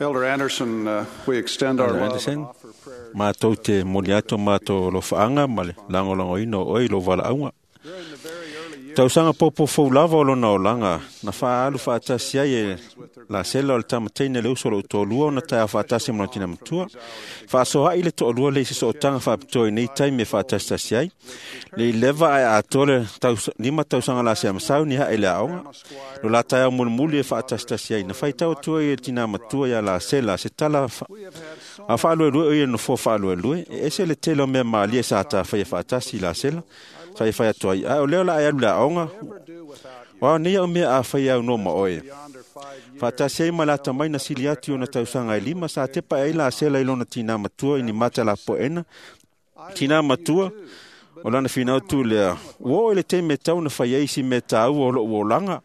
Elder Anderson, we extend our Elder love Anderson, and offer prayers. Matou te moli atu matou alofaanga ma le lagolagoina o oe i lou valaauga. During the very early years Tausaga poupou lava o lona olaga, na faaalu faatasi ai e Lasela o le tamataina le uso o lou toalua ona taeao faatasi ma lona tina matua. Faasoa'i le toalua le i se sootaga faapitoa i nei taimi e faatasitasi ai. Le i leva ae atoa le 5 tausaga lasea masau ni hae le aoga. Lo la taeao mulimuli e faatasitasi ai. Na faitau atu ai e le tina matua ia Lasela se tala a faaluelue o ia nofoa faaluelue. E ese le tele o mea malie sa tafaia faatasi i Lasela. Sa i fai atu ai, "Ae o lea o le a e alu i le aoga, ever do without you. o ao nei au mea a fai au no ma oe." Yonder 5 years, Faatasi ai ma le atamai na sili atu i ona tausaga e 5, sa tepa ai Lasela i lona tinā matua i ni mata lapoena. Tinā matua, o lana finau tu lea, ua oo i le taimi e tau na fai ai si mea tāua o lou olaga.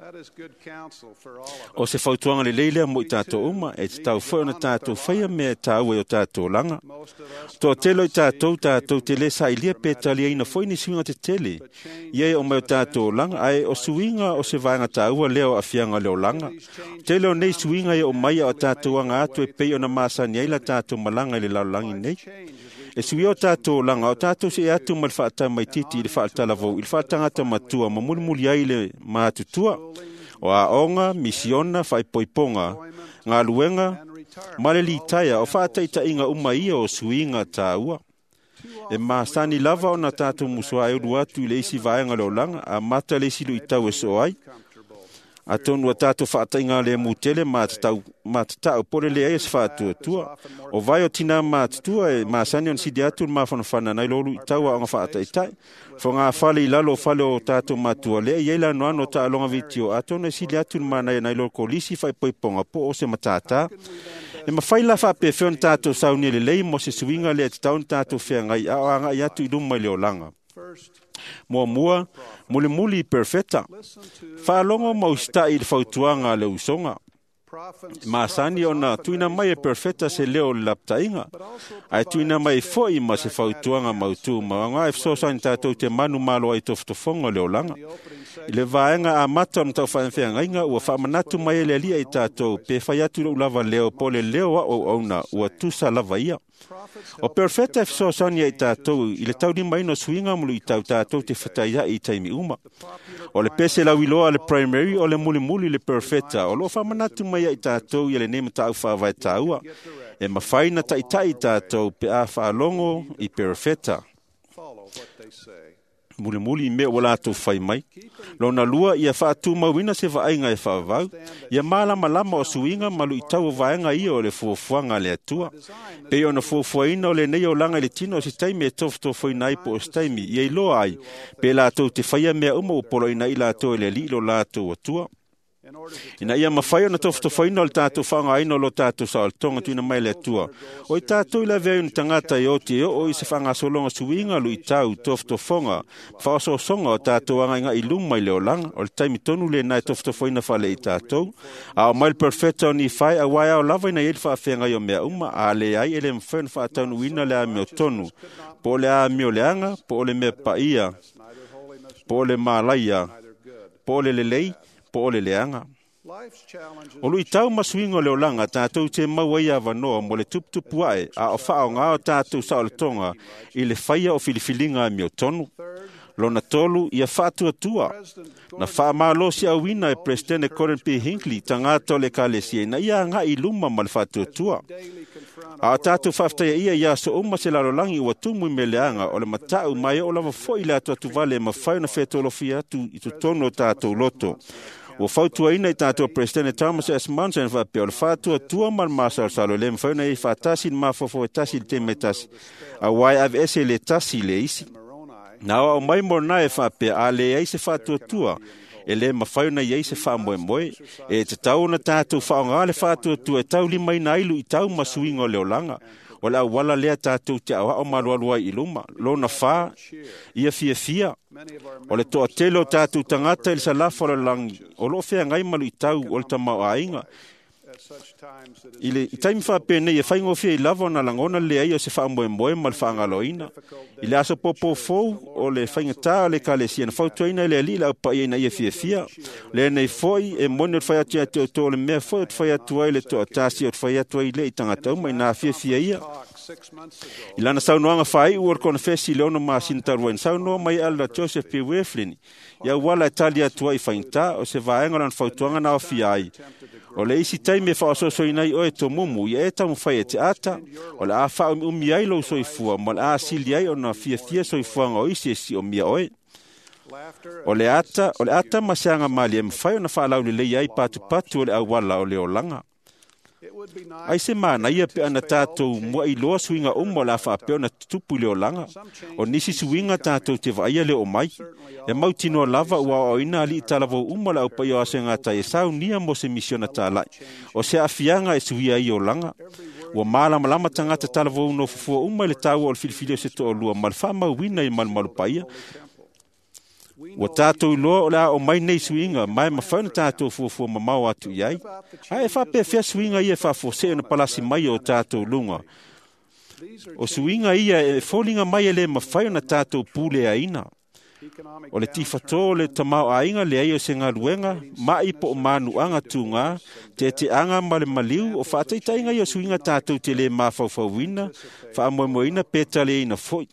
that is good counsel for all of us. O se fautuaga lelei lea mo i tātou uma, e te tau foi ona tātou faia mea e tāua i o tātou olaga. Most of us Toa tele o i tātou, tātou te le sailia pe taliaina foi ni suiga tetele. Ia e o mai o tātou olaga, ae o suiga o se vaega tāua lea o afiaga o le olaga. Tele o nei suiga e o mai a o tātou anga atu e pei ona masani ai la tātou malaga i le lalolagi nei. change as we E suia o tātou olaga, o tātou se atu ma le faatamaititi i le faatalavou, i le faatangata matua ma mulimuli ai le matutua. O aoga, misiona, faaipoipoga, galuega, and retire. ma le litaia o faataitaiga uma ia o suiga tāua. E masani lava ona tātou musoa e ulu atu i le isi vaega o le olaga, a mata le isi luitau e soo ai. Comfortable. Atonu a tātou faataiga le mutele ma tatau po le leai e se faatuatua. O vai o tina matutua e masani ona sili atu le mafanafana nai lo luitau aoga faataitai. Foga fale i lalo o fale o tātou matua lea i ai le anoano o taaloga vitio. Atonu e sili atu le manaia nai lo kolisi faaipoipoga po o se matātā. E mawhai la faapefea ona tātou saunia lelei mo se suiga lea e tatau ona tātou feagai a o agai atu i luma i le olaga. First, Muamua, mulimuli i perfeta. listen to Faalogo ma usita'i i le fautuaga a le usoga. prophets. Masani ona tuuina mai e perfeta se leo o le lapataiga, ae tuuina mai foi ma se fautuaga mautū ma aoga e fesoasoani tatou te manu malo ai tofotofoga o le olaga. I le vaega amata o le taufaafeagaiga ua faamanatu mai e le Alii i tatou pe fai atu lou lava leo po o le leo a auauna ua tusa lava ia. O perfeta e fesoasoani ai tatou i le taulimaina o suiga ma luitau tatou te fetaiai i taimi uma. O le pese lauiloa a le primary o le mulimuli le perfeta o loo faamanatu mai ai tatou ia lenei mataupu faavae tāua. E mafai na taitai tatou pe a faalogo i perfeta. Follow what they say. Mulimuli i mea ua latou fai mai. Lona lua, ia faatumauina se vaaiga e faavavau. Ia malamalama o suiga ma luitau o vaega ia o le fuafuaga a le Atua. Pei ona fuafuaina o lenei olaga i le tino o se taimi e tofotofoina ai po o se taimi, ia iloa ai, pe latou te faia mea uma ua poloina ai latou e le Alii lo latou Atua. In order to Ina ia mafai ona tofotofoina o le tātou faaaogaina o lo tātou saolotoga tuuina mai e le Atua. O i tātou i lavea ai ona tagata e oti e oo i se faagasologa suiga luitau, tofotofoga, faaosoosoga o tātou agaigai i luma i le olaga. O le taimi tonu lena e tofotofoina fale i tātou. A o mai le perfeta o Nifai, auā e ao lava ina i ai le faafeagai o mea uma, a leai e le mafai ona faataunuuina le amio tonu, po o le amio leaga, po o le mea paia, neither holiness po o le malaia, neither good. po o le lelei, po o le leaga. Life's challenges O luitau ma suiga o le olaga tātou te maua ai avanoa mo le tuputupu ae a o faaaoga o tātou saolotoga i le faia o filifiliga amiotonu. Lona tolu, ia faatuatua. President Na faamalosi auina e Presidente Gordon P. Hinckley tagata o le ekalesia ina ia agai i luma ma le faatuatua. daily confront A o tātou faafetaia ia i aso uma se lalolagi ua tumu i mea leaga o le matau ma e oo lava foi le atuatuvale e mafai ona fetolofia atu i totonu o tātou loto. Ua fautuaina i tātou Presidente Thomas S. Monson faapea o le faatuatua ma le masalosalo e le mafai ona i faatasi le mafaufau e tasi i le taimi e tasi, auā e aveese le tasi i le isi. Moroni Na o au mai Moroni e faapea a leai se faatuatua, e le mafai ona i ai se faamoemoe. E tatau ona tātou faaaoga le faatuatua e taulimaina ai luitau ma suiga o le olaga. O le auala lea tātou te aoao malualu ai i luma. Lona whā, ia fiafia. many of our O le toatele o tātou tagata i le salafa o le lalolagi, o loo feagai ma luitau o le tamaoaiga. I le taimi faapenei e faigofie ai lava ona lagona le leai o se faamoemoe ma le faagaloina. I le aso popofou o le faigatā o le Ekalesia na fautuaina e le Alii le aupaia ina ia fiafia. Lenei foi e moni o le fai atu ia te outou o le mea foi o te fai atu ai le toatasi o te fai atu ai le i tagata uma ina fiafia ia. I lana saunoaga faaiu o le konefesi i le 6 masina talu ai na saunoa mai Elder Joseph P. Wirthlin ia auala e tali atu ai i faigata o se vaega o lana fautuaga na aofia ai. O le isi taimi e faaososoina ai oe tomumu ia e taumafai e te ata, o le a faaumiumi ai lou soifua ma o le a sili ai ona fiafia soifuaga o isi e siomia oe. O le ata ma se agamalie e mafai ona faalaulelei ai patupatu o le auala o le olaga. Ai se manaia pe ana tātou muailoa suiga uma o le a faapea ona tutupu i le olaga. O nisi suiga tātou te vaaia le oo mai. E mautinoa lava ua aoaoina alii talavou uma le aupaia o aso e gatai e saunia mo se misiona tālai. O se aafiaga e suia ai olaga. Ua malamalama tagata talavou nofofua uma i le taua o le filifili o se toalua ma le faamauina i malumalu paia. Ua tātou iloa o le a o mai nei suiga ma e mafai ona tātou fuafua mamao atu i ai. Ae e faapefea suiga ia e faafuasei ona palasi mai o tātou luga. O suiga ia e foliga mai e le mafai ona tātou puleaina. O le tifatō o le tamaoaiga leai o se galuega, mai po o manuaga tugā, teteaga ma le maliu, o faataitaiga ia o suiga tātou te lē mafaufauina, faamoemoeina pe taliaina foi.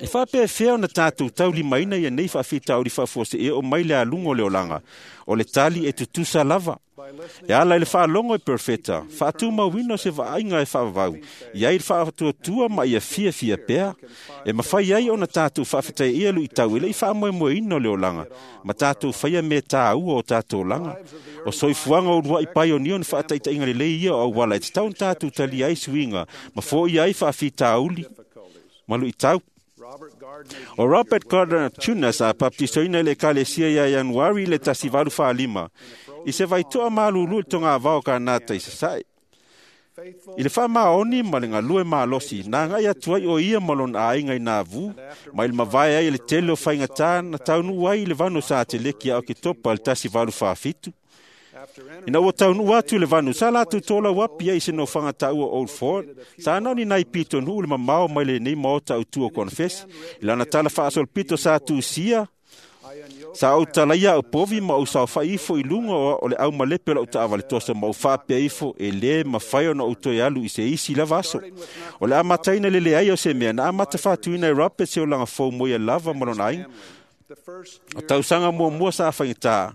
E faapefea ona tātou taulimaina ia nei faafitauli faafuasei e oo mai le aluga o le olaga. O le tali e tutusa lava. E ala i le faalogo e perfeta, faatumauina o se vaaiga e faavavau, i ai le faatuatua ma ia fiafia pea. E mafai ai ona tātou faafetaia luitau e le i faamoemoeina o le olaga, ma tātou faia mea tāua o tātou olaga. O soifuaga o uluai paionio na faataitaiga lelei ia o auala e tatau ona tātou talia ai suiga, ma foia ai faafitauli ma luitau. O Robert Gardner Jr. sa baptisoina i le Ekalesia ia Ianuari i le 1845, i se vaitoa malulu i le togavao Kanata i Sasae. I le faamaoni ma le galue malosi, na agai atu ai o ia ma lona aiga i Navu, mai le mavae ai i le tele o faigata na taunuu ai i le vanu sa Teleki ia Oketopa i le 1847. Ina ua taunuu atu i le vanu, sa latou tolau api ai i se nofoaga taua Old Fort, sa nao ni nai pitonuu le mamao mai lenei maota autu o konefesi. I lana tala faasolopito sa tusia, sa ou talaia au povi ma ou saofai ifo i luga o le aumalepe o lau taavale toso ma ou faapea ifo e lē mafai ona ou toe alu i se isi lava aso. O le amataina le leai o se mea na amata faatuina e Robert se olaga fou mo ia lava ma lona aiga. O tausaga muamua sa faigata,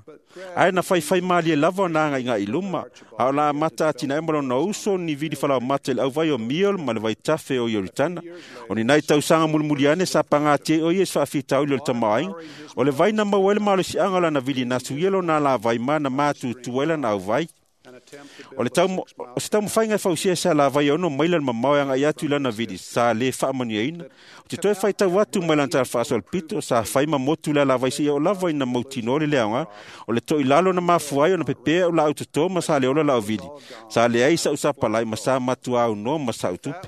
ae na faifai malie lava ona agaigai i luma, a o la amata atinae ma lona uso ni vili falaomata i le auvai o Miol ma le vaitafe o Ioritana. O ni nai tausaga mulimuli ane sa pagatia ai o ia i se faafitauli o le tamaoaiga. O le vai na maua ai le malosiaga o lana vili na suia lona alavai ma na matutua ai lana auvai. O se taumafaiga e fausia se alavai e 6 maila le mamao e agai atu i lana vili sa lē faamanuiaina. O te toe faitau atu mai lana tala faasolopito sa fai ma motu le alavai seia oo lava ina mautinoa le leaoga. O le toilalo na mafua ai ona pepea o laau totō ma sa le ola lau vili. Sa leai sau sapalai ma sa matuaunoa ma sau tupe.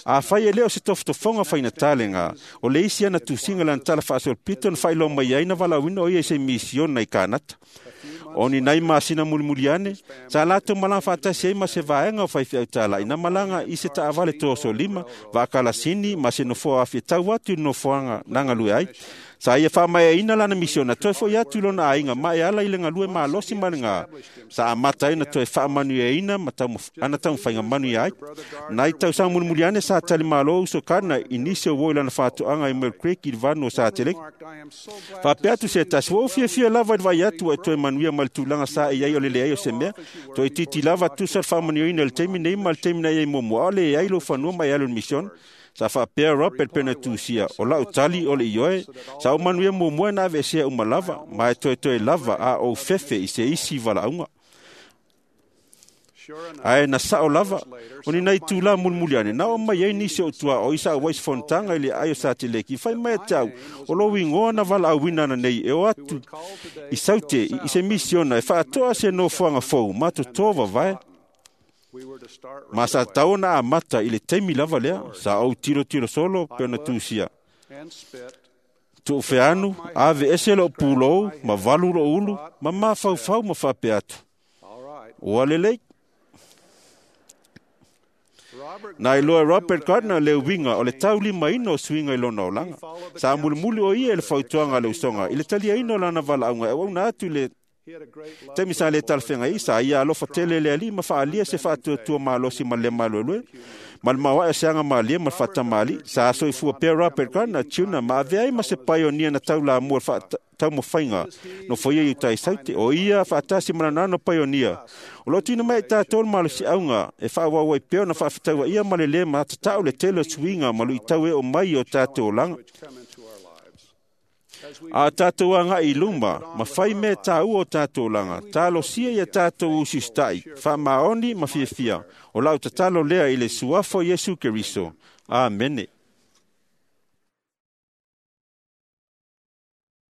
Afai e lē o se tofotofoga faigata lega, o le isi ana tusiga lana tala faasolopito na faailoa mai ai na valaauina o ia i se misiona i Kanata. O ni nai masina mulimuli ane, sa latou malaga faatasi ai ma se vaega o faifeau talai na malaga i se taavale toasolima, vaakalasini ma se nofoa afi e tau atu i le nofoaga na galue ai. Sa ia faamaeaina lana misiona toe foi atu i lona aiga ma e ala i le galue malosi ma le gā. Sa amata ai na toe faamanuiaina ma ana taumafaiga manuia ai. Nai tausaga mulimuli ane sa talimalo uso Gardner i nisi o uo i lana faatoaga i Mill Creek i le vanu o Sateleki. Faapea atu se tasi, ua ou fiafia lava i le vaai atu ua e toe manuia ma le tulaga sa e i ai o le leai o se mea. Toe itiiti lava tusa le faamanuiaina i le taimi nei ma le taimi na i ai muamua, a o leai lou fanua ma e alu i le misiona. Sa faapea Robert pena tusia, o lau tali o le ioe, sa ou manuia muamua na aveesea uma lava, ma e toetoe lava a ou fefe i se isi valaauga. Ae na sao lava, o ni nai tūlā mulimuli ane, na o mai ai nisi o tua o isa au ai se fonotaga i le ai o Sateleki, fai mai e te au, o lou igoa na valaauina ana nei e o atu i Saute i se misiona e faatoa se nofoaga fou ma totō vavae. Ma sa tatau ona amata i le taimi lava lea, sa ou tilotilo solo pe ona tusia. Tuufeanu, ave ese lou pulou, ma valu lou ulu, ma mafaufau ma faapea atu. Ua lelei. Na iloa e Robert Gardner le uiga o le taulimaina o suiga i lona olaga. Sa mulimuli o ia i le fautuaga a le usoga i le taliaina o lana valaauga e auauna atu i le taimi sa le talafeagai. Sa ia alofa tele i le Alii ma faaalia se faatuatua malosi ma le maluelue ma le maoae o se aga malie ma le faatamāli'i. Sa soifua pea Robert Gardner Jr. ma avea ai ma se paionia na taulamua i le taumafaiga nofoia i uta i Saute. O ia faatasi ma lana ano paionia o lo o tuuina mai ai tatou le malosiaga e faaauau ai pea ona faafetauaia ma le lē matatau le tele o suiga ma luitau e oo mai i o tatou olaga. A o tatou agai i luma ma fai mea taua o tatou olaga, talosia ia tatou usiusita'i, faamaoni ma fiafia. O lau tatalo lea i le suafa o Iesu Keriso. Amene.